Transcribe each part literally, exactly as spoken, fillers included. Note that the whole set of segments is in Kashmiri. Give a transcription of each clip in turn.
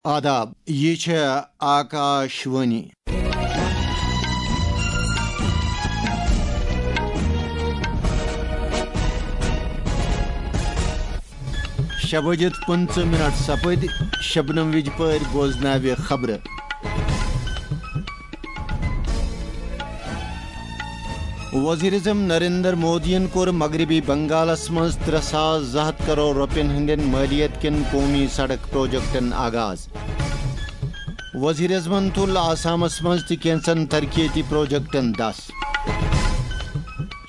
آداب، یہِ چھےٚ آکاش وانی۔ شےٚ بجِتھ پٕنٛژٕہ منٹ سپٕدۍ، شبنم وِجہِ پٲرۍ بوزناوِ خبرٕ۔ وزیر اعظم نریندر مودیَن کوٚر مغربی بنگالَس منٛز ترٛےٚ ساس زٕ ہَتھ کرور رۄپیَن ہٕنٛدٮ۪ن مٲلیت کٮ۪ن قومی سڑک پروجیکٹَن آغاز۔ وزیر اعظمَن تُل آسامَس منٛز تہِ کینٛژن ترقیتی پروجیکٹَن دَس۔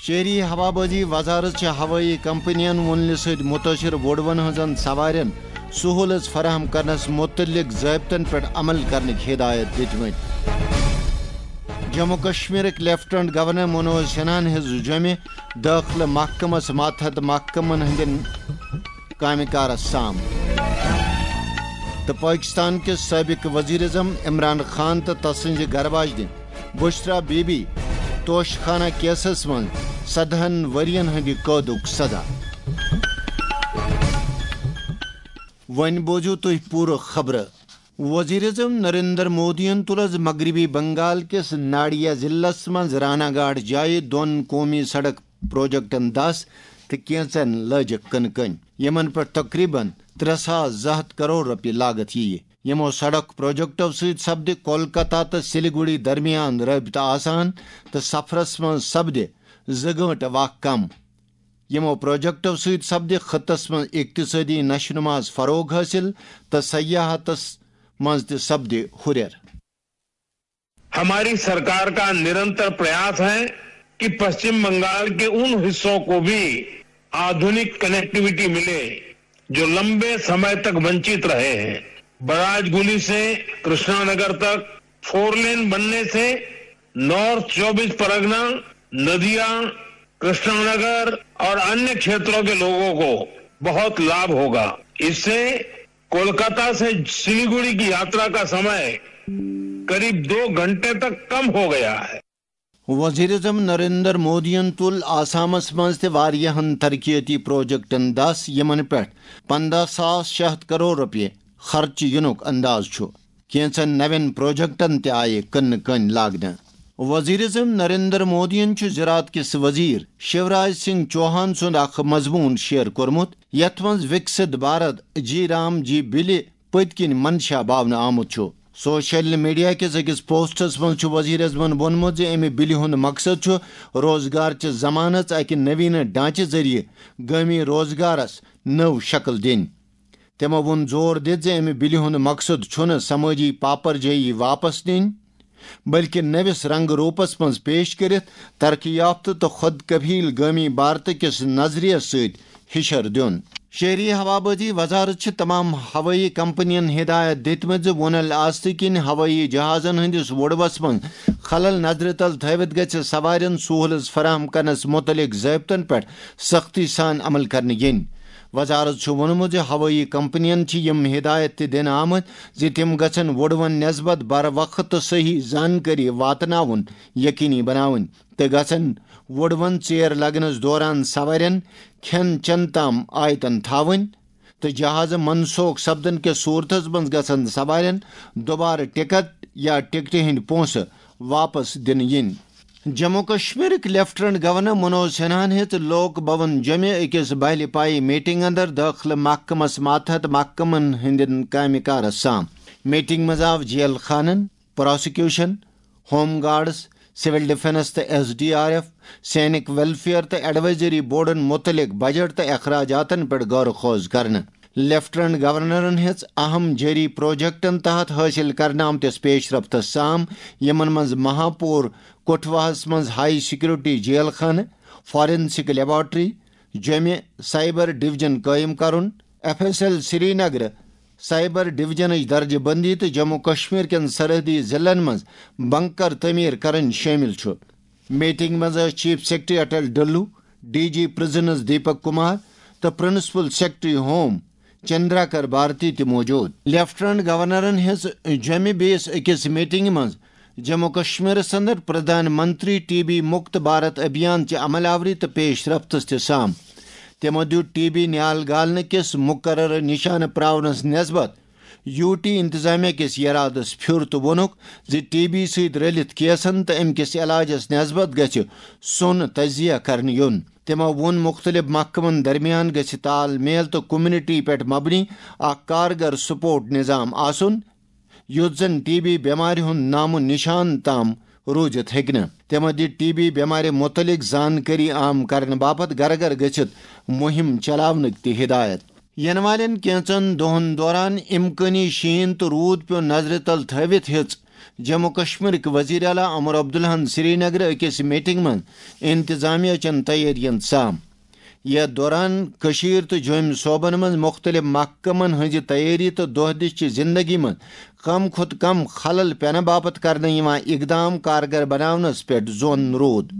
شہری ہوابازی وزارت چھِ ہوٲیی کمپنین وُنلہِ سۭتۍ مُتٲثِر وُڈوَن ہٕنٛزن سوارٮ۪ن سہوٗلژ فراہم کرنس مُتعلق ضٲبطن پٮ۪ٹھ عمل کرنٕکۍ ہدایت دِتمٕتۍ۔ جموں کشمیرٕکۍ لیفٹیننٹ گورنر منوج سنہاہن ہیٚژ جوٚمہِ دٲخلہٕ محکمس ماتحت محکمن ہٕنٛدٮ۪ن کامہِ کارس سام۔ تہٕ پٲکِستان کِس سٲبِق ؤزیٖر اعظم عمران خان تہٕ تسٕنٛزِ گرٕ واجنہِ بشرا بی بی توشہٕ خانہ کیسس منٛز سدہن ؤرین ہٕنٛدِ قٲدُک سزا۔ وۄنۍ بوزِو تُہۍ پوٗرٕ خبرٕ۔ وزیر اعظم نریندر مودیَن تُل از مغربی بنگال کِس ناڈیا ضلعس منٛز رانا گاٹ جایہِ دۄن قومی سڑک پروجیکٹن دَس تہٕ کینٛژن لٲجِکھ کٕنہٕ کٔنۍ، یِمن پٮ۪ٹھ تقریباً ترٛےٚ ساس زٕ ہَتھ کرور رۄپیہِ لاگت یِیہِ۔ یِمو سڑک پروجیکٹو سۭتۍ سپدِ کولکتہ تہٕ سلیگوڑی درمیان رٲبطہٕ آسان تہٕ سفرس منٛز سپدِ زٕ گٲنٹہٕ وق کم۔ یِمو پروجیکٹو سۭتۍ سپدِ خطس منٛز اقتصٲدی نشو نماہس فروغ حٲصِل تہٕ سیاحتس منٛز تہِ سپدِ ہُرٮ۪ر۔ हमारी सरकार का निरंतर प्रयास है कि पश्चिम बंगाल के उन हिस्सों को भी आधुनिक कनेक्टिविटी मिले, जो लंबे समय तक वंचित रहे हैं। बराजगुली से कृष्णानगर तक फोर लेन बनने से नॉर्थ चौबीस परगना, नदिया, कृष्णानगर और अन्य क्षेत्रों के लोगों को बहुत लाभ होगा। इससे कोलकाता से सिलीगुड़ी की यात्रा का समय करीब दो घंटे तक कम हो गया है। وزیر اعظم نریندر مودیَن تُل آسامس منٛز تہِ واریاہن ترقیتی پروجیکٹن دَس، یِمن پٮ۪ٹھ پنٛداہ ساس شےٚ ہَتھ کرور رۄپیہِ خرچہٕ یِنُک انداز چھُ۔ کینٛژن نوٮ۪ن پروجیکٹن تہِ آیہِ کٕنہٕ کٔنۍ لاگنہٕ۔ وزیر اعظم نریندر مودیَن چھُ زراعت کِس وزیر شیوراج سنگھ چوہان سُنٛد اکھ مضموٗن شیئر کوٚرمُت، یتھ منٛز وکست بھارت جی رام جی بلہِ پٔتۍ کِنۍ منشا باونہٕ آمُت چھُ۔ سوشل میڈیا کِس أکِس پوسٹس منٛز چھُ وزیر اعظمَن ووٚنمُت زِ اَمہِ بلہِ ہُنٛد مقصد چھُ روزگار چہِ ضمانت اکہِ نویٖنہٕ ڈھانچہٕ ذٔریعہٕ گٲمی روزگارس نٔو شکل دِنۍ۔ تِمو ووٚن زور دِتھ زِ اَمہِ بلہِ ہُنٛد مقصد چھُنہٕ سمٲجی پاپر جٲیی واپس نِنۍ، بلکہِ نٔوِس رنگ روپس منٛز پیش کٔرِتھ ترقی یافتہٕ تہٕ خود کفیل گٲمی بھارت کِس نظریس سۭتۍ ہِشر دیُن۔ شہری ہوابازی وزارت چھِ تمام ہوٲیی کمپنین ہدایت دِتمٕژ زِ وُنل آستہٕ کِنۍ ہوٲیی جہازن ہٕنٛدِس وُڈوس منٛز خلل نظرِ تل تھٲوِتھ گژھِ سوارٮ۪ن سہوٗلژ فراہم کرنس مُتعلق ضٲبطن پٮ۪ٹھ سختی سان عمل کرنہٕ یِنۍ۔ وزارت چھُ ووٚنمُت زِ ہوٲیی کمپنین چھِ یِم ہدایت تہِ دِنہٕ آمٕتۍ زِ تِم گژھن وُڈوَن نسبت بر وقت تہٕ صحیح زانکٲری واتناوُن یقینی بناوٕنۍ تہٕ گژھن وُڈوَن ژیر لگنس دوران سوارٮ۪ن کھٮ۪ن چٮ۪ن تام آیتن تھاوٕنۍ تہٕ جہازٕ منسوخ سپدن کِس صورتس منٛز گژھن سوارٮ۪ن دوبارٕ ٹکٹ یا ٹکٹہِ ہٕنٛدۍ پونٛسہٕ واپس دِنہٕ یِنۍ۔ جموں کشمیرٕکۍ لیفٹیننٹ گورنر منوج سنہاہن ہیٚژ لوک بھون جوٚمہِ أکِس بہلہِ پایہِ میٹنگ اندر دٲخلہٕ محکمس ماتحت محکمن ہٕنٛدٮ۪ن کامہِ کارس سام۔ میٹنگ منٛز آو جیل خانن، prosecution, home guards, civil defence تہٕ S D R F, Sainik welfare تہٕ ایڈوائزری بورڈن مُتعلق بجٹ تہٕ اخراجاتن پٮ۪ٹھ غور و خوض کرنہٕ۔ لیفٹیننٹ گورنرن ہیٚژ اہم جٲری پروجیکٹن تحت حٲصِل کرنہٕ آمتِس پیش رفتس سام، یِمن منٛز مہاپور کٹھواہس منٛز ہائی سیکورٹی جیل خانہٕ، فارنسک لیبارٹری، جوٚمہِ سائبر ڈویژن قٲیِم کرُن، F S L Srinagar cyber ڈویژنٕچ درجہٕ بندی تہٕ جموں کشمیر کٮ۪ن سرحدی ضلعن منٛز بنکر تعمیٖر کرٕنۍ شٲمِل چھُ۔ میٹنگ منٛز ٲسۍ chief secretary Atal Dulloo, D G prisons Deepak Kumar تہٕ principal secretary home Chandraker Bharti تہِ موجود۔ لیفٹیننٹ گورنرن ہیٚژ جوٚمہِ بیٚیِس أکِس میٹنگہِ منٛز جموں کشمیرس اندر پردھان منتری ٹی بی مکت بھارت ابھیان چہِ عمل آوری تہٕ پیش رفتس تہِ سام۔ تِمو دیُت ٹی بی نیال گالنہٕ کِس مقررٕ نشانہٕ پراونس نسبت یو ٹی انتظامیہ کِس یرادس پھیُر تہٕ ووٚنُکھ زِ ٹی بی سۭتۍ رٔلِتھ کیسن تہٕ امہِ کِس علاجس نسبت گژھِ سوٚن تجزیہ کرنہٕ یُن۔ تِمو ووٚن مُختٔلِف محکمن درمیان گژھِ تال میل تہٕ کمیونٹی پٮ۪ٹھ مبنی اکھ کارگر سپورٹ نظام آسُن، یُتھ زن ٹی بی بٮ۪مارِ ہُنٛد نامو نشان تام روٗزِتھ ہیٚکہِ نہٕ۔ تِمو دِتۍ ٹی بی بٮ۪مارِ مُتعلق زانکٲری عام کرنہٕ باپتھ گرٕ گرٕ گٔژھِتھ مُہِم چلاونٕکۍ تہِ ہدایت۔ یِنہٕ والٮ۪ن کینٛژن دۄہن دوران امکٲنی شیٖن تہٕ روٗد پیوٚن نظرِ تل تھٲوِتھ ہیٚژ جموں کشمیرٕکۍ وزیر اعلیٰ عمر عبداللہن سرینگرٕ أکِس میٹنگ منٛز انتظامیہ چٮ۪ن تیٲرین سام۔ یتھ دوران کٔشیٖر تہٕ جوٚمۍ صوبن منٛز مُختٔلِف محکمن ہٕنٛزِ تیٲری تہٕ دۄہ دِش چہِ زِندگی منٛز کم کھۄتہٕ کم خلل پینہٕ باپتھ کرنہٕ یِوان اقدام کارگر بناونس پٮ۪ٹھ زون روٗد۔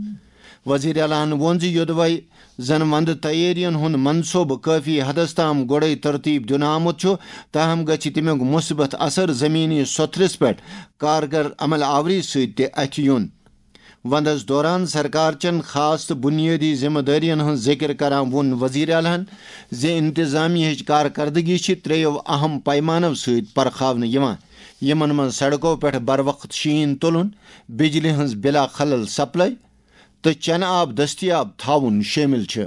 وزیر اعلیٰ ہن ووٚن زِ یوٚدوے زن وندٕ تیٲرین ہُنٛد منصوبہٕ کٲفی حدس تام گۄڈے ترتیب دِنہٕ آمُت چھُ، تاہم گژھِ تمیُک مثبت اثر زمینی سوٚتھرِس پٮ۪ٹھ کارگر عمل آوری سۭتۍ تہِ اتھِ یُن۔ وندس دوران سرکار چٮ۪ن خاص تہٕ بنیٲدی ذمہ دٲرین ہٕنٛز ذکر کران ووٚن وزیر اعلیٰ ہن زِ انتظامیہ ہٕچ کارکردگی چھِ ترٛیٚیو اہم پیمانو سۭتۍ پرکھاونہٕ یِوان، یِمن منٛز سڑکو پٮ۪ٹھ بروقت شیٖن تُلُن، بجلی ہٕنٛز بلا خلل سپلائی تہٕ چٮ۪نہٕ آب دٔستیاب تھاوُن شٲمِل چھِ۔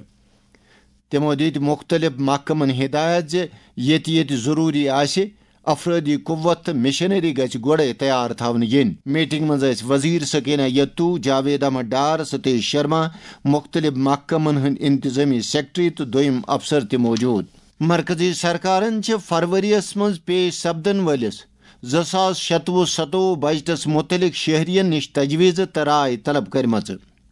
تِمو دِتۍ مُختٔلِف محکمن ہدایت زِ ییٚتہِ ییٚتہِ ضروٗری آسہِ، افرٲدی قوت تہٕ مشینری گژھِ گۄڈَے تیار تھاونہٕ یِنۍ۔ میٹنگ منٛز ٲسۍ وزیر سکینہ یتو، جاوید احمد ڈار، ستیش شرما، مُختٔلِف محکمن ہٕنٛدۍ انتظامی سیکرٹری تہٕ دوٚیِم افسر تہِ موجود۔ مرکزی سرکارن چھِ فروریَس منٛز پیش سپدن وٲلِس زٕ ساس شتوُہ ستوُہ بجٹس مُتعلق شہرین نِش تجویزٕ تہٕ راے طلب کٔرمٕژ۔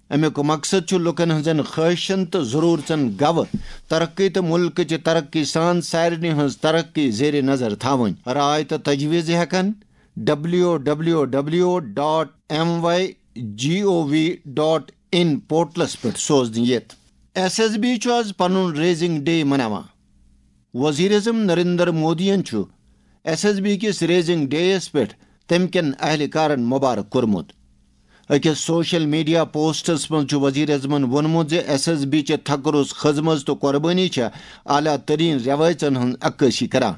امیُک مقصد چھُ لوٗکن ہٕنٛزن خواہشن تہٕ ضروٗرژن گوٚو ترقی تہٕ مُلکٕچہِ ترقی سان سارنٕے ہٕنٛز ترقی زیر نظر تھاوٕنۍ۔ راے تہٕ تجویز ہٮ۪کن W W W dot M Y G O V dot in پورٹلس پٮ۪ٹھ سوزنہٕ یِتھ۔ ایس ایس بی چھُ آز پنُن ریزنگ ڈے مناوان۔ وزیر اعظم نریندر مودیَن چھُ ایس ایس بی کِس ریزنگ ڈے یَس پٮ۪ٹھ تٔمۍ کٮ۪ن اہلکارَن مبارک کوٚرمُت۔ أکِس سوشل میڈیا پوسٹَس منٛز چھُ وزیر اعظمَن ووٚنمُت زِ ایس ایس بی چہِ تھکروس خدمژ تہٕ قۄربٲنی چھےٚ اعلیٰ تریٖن رٮ۪وٲیژَن ہٕنٛز عکٲسی کران۔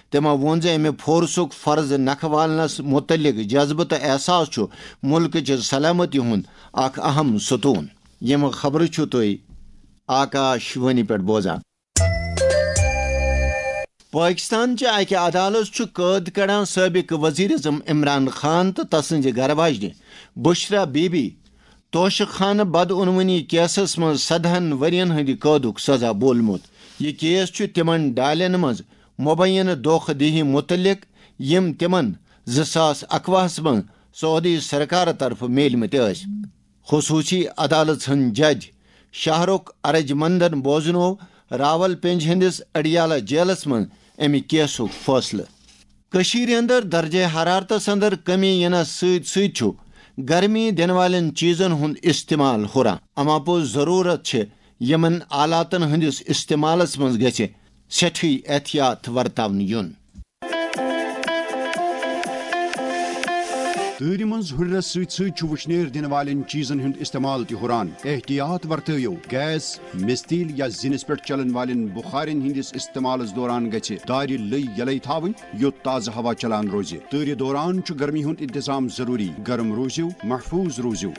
تٔمۍ ووٚن زِ اَمہِ فورسُک فرض نکھٕ والنَس مُتعلِق جذبہٕ تہٕ احساس چھُ مُلکٕچہِ سلامتی ہُنٛد اکھ اہم ستون۔ یِم خبرٕ چھِو تُہۍ آکاش وانی پٮ۪ٹھ بوزان۔ پٲکِستان چہِ اَکہِ عدالت چھُ قٲد کڑان سٲبِق ؤزیٖر اعظم عمران خان تہٕ تسٕنٛزِ گرٕ واجنہِ بشرا بی بی توشہٕ خانہٕ بدعنوٲنی کیسَس منٛز سدہَن ؤرۍ یَن ہٕنٛدِ قٲدُک سزا بولمُت۔ یہِ کیس چھُ تِمَن ڈالٮ۪ن منٛز مبینہٕ دھوکہ دہی مُتعلق، یِم تِمَن زٕ ساس اَکوُہَس منٛز سعودی سرکارٕ طرفہٕ میلمٕتۍ ٲسۍ۔ خصوٗصی عدالت ہٕنٛدۍ جج شاہ رخ ارجمندن بوزنوو راول پنج ہٕنٛدِس اڈیالہ جیلس منٛز امہِ کیسُک فٲصلہٕ۔ کٔشیٖرِ اندر درجہ حرارتس اندر کمی یِنس سۭتۍ سۭتۍ چھُ گرمی دِنہٕ والٮ۪ن چیٖزن ہُنٛد استعمال ہُران۔ اما پوٚز ضروٗرت چھِ یِمن آلاتن ہٕنٛدِس استعمالس منٛز گژھِ سٮ۪ٹھٕے احتیاط ورتاونہٕ یُن۔ تۭرِ منٛز ہُرٮ۪رس سۭتۍ سۭتۍ چھُ وُشنیر دِنہٕ والٮ۪ن چیٖزن ہُنٛد استعمال تہِ ہُران۔ احتیاط ورتٲیِو، گیس، مِستیٖل یا زِنِس پٮ۪ٹھ چلن والٮ۪ن بُخارٮ۪ن ہٕنٛدِس استعمالس دوران گژھِ دارِ لٔۍ یلے تھاوٕنۍ، یوٚت تازٕ ہوا چلان روزِ۔ تۭرِ دوران چھُ گرمی ہُنٛد انتظام ضروٗری۔ گرم روٗزِو، محفوٗظ روٗزِو۔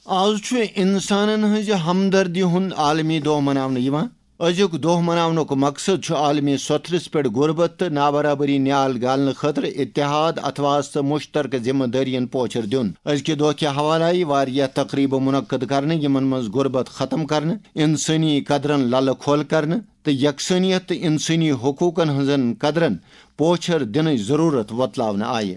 آز چھُ انسانن ہٕنٛزِ ہمدردی ہُنٛد عالمی دۄہ مناونہٕ یِوان۔ أزیُک دۄہ مناونُک مقصد چھُ عالمی سوٚتھرِس پٮ۪ٹھ غربت تہٕ نابرابری نیال گالنہٕ خٲطرٕ اتحاد، اتھواس تہٕ مشترکہٕ ذمہٕ دٲرین پوچھر دیُن۔ أزکہِ دۄہ کہِ حوالہٕ آیہِ واریاہ تقریبہٕ منعقد کرنہٕ، یِمن منٛز غربت ختم کرنہٕ، انسٲنی قدرن للہٕ کھول کرنہٕ تہٕ یکسانیت تہٕ انسٲنی حقوقن ہٕنٛزن قدرن پوچھر دِنٕچ ضرورت وۄتلاونہٕ آیہِ۔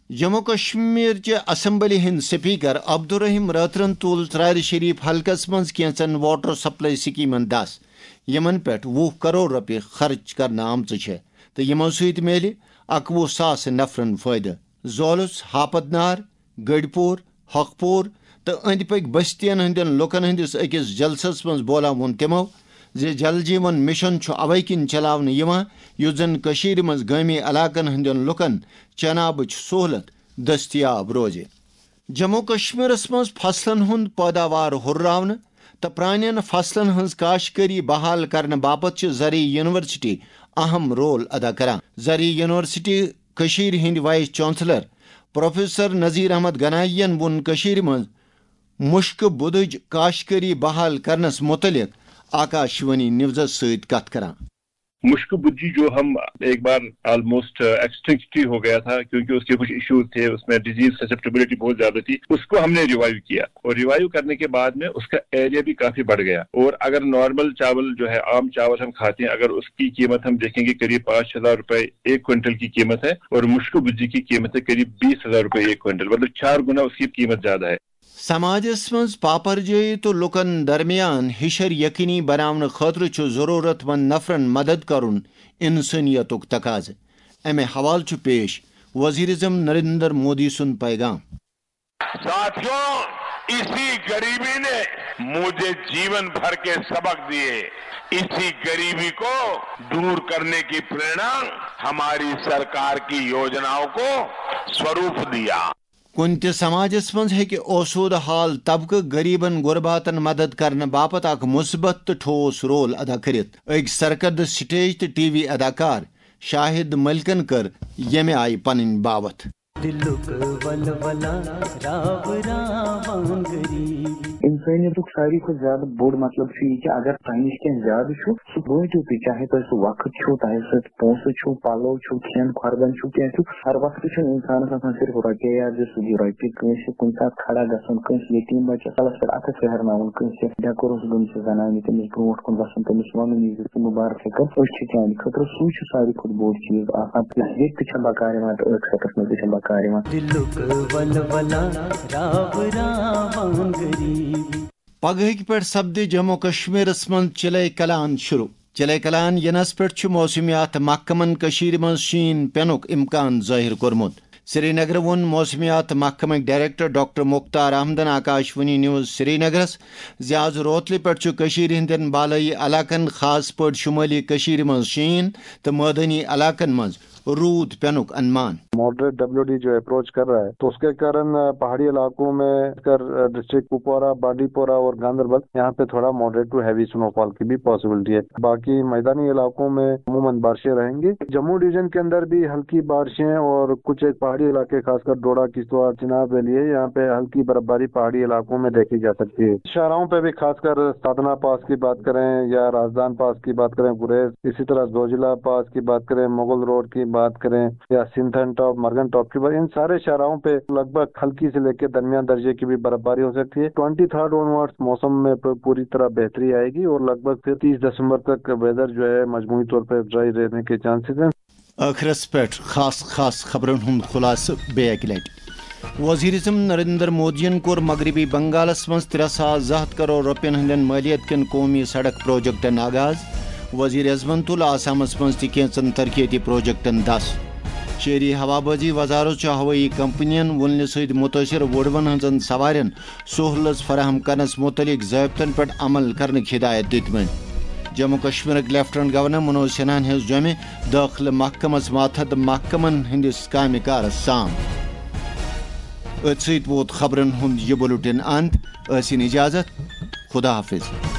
جموں کشمیر چہِ اسمبلی ہٕنٛدۍ سپیکر عبدالرحیم رٲترَن تُل ژرارِ شریف حلقس منٛز کینٛژن واٹر سپلائی سکیمن دس، یِمن پٮ۪ٹھ وُہ کرور رۄپیہِ خرٕچ کرنہٕ آمژٕ چھےٚ تہٕ یِمو سۭتۍ میلہِ اَکوُہ ساس نفرن فٲیدٕ۔ زولُس، ہاپت نار، گٔڑۍ پوٗر، حق پوٗر تہٕ أنٛدۍ پٔکۍ بستین ہٕنٛدٮ۪ن لوٗکن ہٕنٛدِس أکِس جلسس منٛز بولان ووٚن تِمو زِ جل جیون مشن چھُ اوے کِنۍ چلاونہٕ یِوان، یُتھ زن کٔشیٖرِ منٛز گٲمی علاقن ہٕنٛدٮ۪ن لوٗکن چنہٕ آبٕچ سہولت دٔستیاب روزِ۔ جموں کشمیرس منٛز فصلن ہُنٛد پٲداوار ہُرراونہٕ تہٕ پرٛانٮ۪ن فصلن ہٕنٛز کاشتکٲری بحال کرنہٕ باپتھ چھِ زرعی یونیورسٹی اہم رول ادا کران۔ زرعی یونیورسٹی کشیر ہند vice chancellor professor Nazir Ahmad Ganai ین وون کشیر منز مشکہ بدج کاشکری بحال کرنس متعلق آکاشوانی نیوزس سۭتۍ کتھ کران۔ مشکو بدجی جو ہم ایک بار آلموسٹ ایکسٹنکٹ ہی ہو گیا تھا، کیونکہ اس کے کچھ ایشوز تھے، اس میں ڈیزیز سسپٹیبلٹی بہت زیادہ تھی، اس کو ہم نے ریوائیو کیا اور ریوائیو کرنے کے بعد میں اس کا ایریا بھی کافی بڑھ گیا۔ اور اگر نارمل چاول جو ہے، عام چاول ہم کھاتے ہیں، اگر اس کی قیمت ہم دیکھیں گے قریب پانچ ہزار روپے ایک کوئنٹل کی قیمت ہے اور مشکو بدجی کی قیمت ہے قریب بیس ہزار روپے ایک کوئنٹل، مطلب چار گنا اس کی قیمت زیادہ ہے۔ سماجس منز پاپر جٲیی تہٕ لوکن درمیان ہشر یقینی بناونہٕ خٲطرٕ چھُ ضرورت مند نفرن مدد کرُن انسانیتُک تقاضہٕ۔ امہِ حوالہٕ چھُ پیش وزیر اعظم نریندر مودی سُنٛد پیغام۔ साथियों, इसी गरीबी ने मुझे जीवन भर के सबक दिए। इसी गरीबी को दूर करने की प्रेरणा हमारी सरकार की योजनाओं को स्वरूप दिया। کُنہِ تہِ سماجس منٛز ہیٚکہِ اوسودٕ حال طبقہٕ غریبن غرباتن مدد کرنہٕ باپتھ اکھ مثبت تہٕ ٹھوس رول ادا کٔرِتھ۔ أکۍ سرکردٕ سٹیج تہٕ ٹی وی اداکار شاہد ملکن کٔر ییٚمہِ آیہِ پنٕنۍ باوتھ۔ دِلُک ولولہ راو راوان غریب۔ انسٲنیتُک ساروی کھۄتہٕ زیادٕ بوٚڑ مطلب چھُ یہِ کہِ اگر تۄہہِ نِش کینٛہہ زیادٕ چھُ، سُہ وٲتِو تُہۍ، چاہے تۄہہِ سُہ وقت چھُ، تۄہہِ سۭتۍ پونٛسہٕ چھُ، پلو چھُ، کھٮ۪ن کھۄردن چھُ، کینٛہہ چھُ۔ ہر وقتہٕ چھُنہٕ انسانس آسان صرف رۄپیے یوت زِ سُہ دِیہِ رۄپیہِ کٲنٛسہِ، کُنہِ ساتہٕ کھڑا گژھُن کٲنٛسہِ یتیٖم بچس، کلس پٮ۪ٹھ اتھس پھیرناوُن کٲنٛسہِ، ڈٮ۪کہٕ روٚس گٔمژِ زنانہِ تٔمِس برونٛٹھ کُن وسُن، تٔمِس ونُن یہِ زِ ژٕ مُبارک ہیٚکن، أسۍ چھِ چانہِ خٲطرٕ۔ سُے چھُ ساروی کھۄتہٕ بوٚڑ چیٖز آسان، ییٚتہِ تہِ چھےٚ بکار یِوان تہٕ ٲخرتس منٛز تہِ چھےٚ بکار یِوان۔ دِلُک ولولہ راو راوان غریب۔ پگہٕکۍ پٮ۪ٹھ سپدِ جموں کشمیرس منٛز چِلے کلان شروع۔ چِلے کلان یِنس پٮ۪ٹھ چھُ موسمیات محکمن کٔشیٖرِ منٛز شیٖن پینُک امکان ظٲہِر کوٚرمُت۔ سرینگرٕ ووٚن موسمیات محکمٕکۍ ڈائریکٹر ڈاکٹر مختار احمدن آکاشوانی نیوز سرینگرس زِ آز روتلہِ پٮ۪ٹھ چھُ کٔشیٖرِ ہٕنٛدٮ۪ن بالٲیی علاقن، خاص پٲٹھۍ شُمٲلی کٔشیٖرِ منٛز شیٖن تہٕ مٲدٲنی علاقن منٛز روٗد پینُک انمان۔ ماڈریٹ ڈبلیو ڈی جو اپروچ کر رہا ہے، تو اس کے کارن، آ، پہاڑی علاقوں میں، خاص کر، آ، ڈسٹرکٹ کپوارہ، بانڈی پورہ اور گاندربل، یہاں پہ تھوڑا ماڈریٹ ٹو ہیوی سنو فال کی بھی پاسبلٹی ہے۔ باقی میدانی علاقوں میں عموماً بارشیں رہیں گی۔ جموں ڈویژن کے اندر بھی ہلکی بارشیں اور کچھ ایک پہاڑی علاقے، خاص کر ڈوڈا، کشتواڑ، چناب ویلی ہے، یہاں پہ ہلکی برفباری پہاڑی علاقوں میں دیکھی جا سکتی ہے۔ شاہراہوں پہ بھی، خاص کر سادنا پاس کی بات کریں یا رازدان پاس کی بات کریں، گریز، اسی طرح زوجلا پاس کی بات کریں، مغل روڈ کی بات کریں یا سنتھن ٹاپ، مرگن ٹاپ کی بات، ان سارے شاہراہوں پہ لگ بھگ ہلکی سے لے کے درمیان درجے کی بھی برفباری ہو سکتی ہے۔ ٹوئنٹی تھرڈ آن ورڈز موسم میں پ-، پوری طرح بہتری آئے گی اور لگ بھگ پھر تیس دسمبر تک ویدر جو ہے مجموعی طور پہ ڈرائی رہنے کے چانسز ہیں۔ ٲخرس پٮ۪ٹھ خاص خاص خبرن ہُنٛد خلاصہٕ بیٚیہِ اکہِ لٹہِ۔ وزیر اعظم نریندر مودیَن کوٚر مغربی بنگالس منٛز ترٛےٚ ساس زٕ ہتھ کرور رۄپین ہٕنٛدٮ۪ن مٲلیت کٮ۪ن قومی سڑک پروجیکٹن آغاز۔ وزیر اعظمن تُل آسامس منٛز تہِ کینٛژن ترقیتی پروجیکٹن دس۔ شہری ہوابازی وزارت چھُ ہوٲیی کمپنین وُلنہِ سۭتۍ مُتٲثر وُڑوَن ہٕنٛزن سوارٮ۪ن سہولژ فراہم کرنس متعلق ضٲبطن پٮ۪ٹھ عمل کرنٕکۍ ہدایت دِتمٕتۍ۔ جموں کشمیرٕکۍ لیفٹیننٹ گورنر منوج سنہاہن ہیوٚژ جوٚمہِ دٲخلہٕ محکمس ماتحت محکمن ہٕنٛدِس کامہِ کارس سام۔ أتھۍ سۭتۍ ووت خبرن ہُنٛد یہِ بُلٹن اند۔ ٲسِن اجازت۔ خدا حافظ۔